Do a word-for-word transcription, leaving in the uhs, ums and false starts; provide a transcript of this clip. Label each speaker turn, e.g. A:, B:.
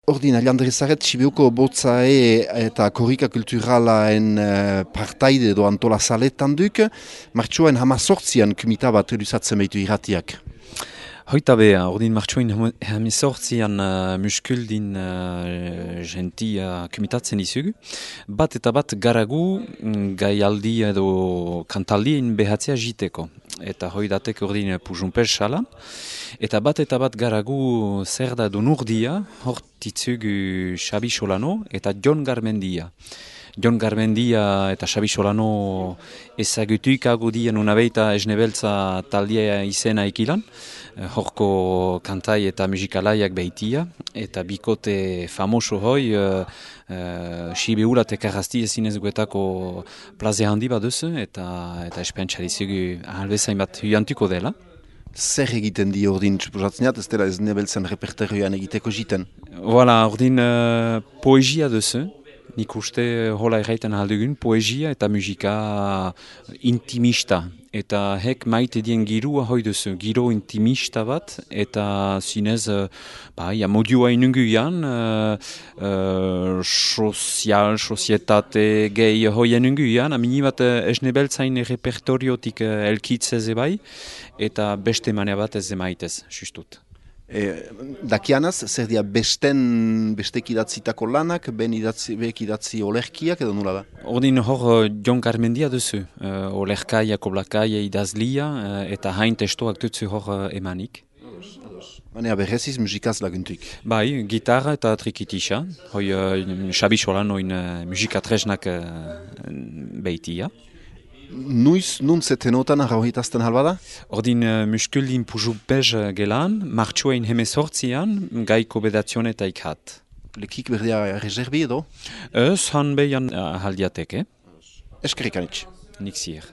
A: Ordin, aliandrezaret, Sibiuko botzae eta korrika kulturalaen uh, partaide edo antola saletan duk, martxoen hamazortzian kumita bat elusatzen behitu irratiak.
B: Hoita beha, ordin martxoen hamazortzian uh, muskuldin uh, genti uh, kumitatzen izugu. Bat eta bat garagu gaialdi edo kantaldien behatzea jiteko. Eta hoi datek ordin pujunper sala. Eta bat eta bat garagu zer da du nurdia, hortitzugu Xabi Solano eta Jon Garmendia. Jon Garmendia eta Xabi Solano ezagutuik agudien unabeita esnebeltza taldia izena ikilan. Horko kantai eta musikalaiak behitia. Eta bikote famoso hoi, uh, uh, Sibiula tekarrazti ezinez guetako plaze handi bat duzu, eta, eta espentsarizugu ahalbezain bat huiantuko dela.
A: Zer egiten di ordin txuposatzen ez dela ez nebeltzen repertorioan egiteko jiten?
B: Voilà, ordin uh, poesia duzu. Nik uste hola erraiten aldugun, poesia eta musika intimista. Eta hek maite dien girua hoi duzu, giro intimista bat, eta zinez, ba, ja, modua inunguian, uh, uh, sozial, sozietate gehi hoi inunguian, amini bat esnebeltzain repertoriotik uh, elkitzez ebai, eta beste manea bat ez emaitez, justut.
A: E, dakianaz, zer dia besten, bestek idatzitako lanak, ben idatzi, bek idatzi olerkiak edo nula da?
B: Ordin hor Jon Garmendia duzu, uh, olerkaia, koblakaia, idazlia, uh, eta hain testoak dutzu hor uh, emanik.
A: Manea berreziz musikaz laguntuik.
B: Bai, gitarra eta trikitisa, hoi uh, Xabi Solanoin uh, musikatresnak uh, behitia.
A: Nuiz, nun zetenotan arrauhitazten halbada?
B: Ordin uh, muskuldin pujupez gelan, martxoein hemezortzian, gaiko bedatzione eta ikhat.
A: Lekik berdia reserbi edo?
B: Ez, han behian uh, haldiateke.
A: Eskerrik anitz.
B: Nik zier.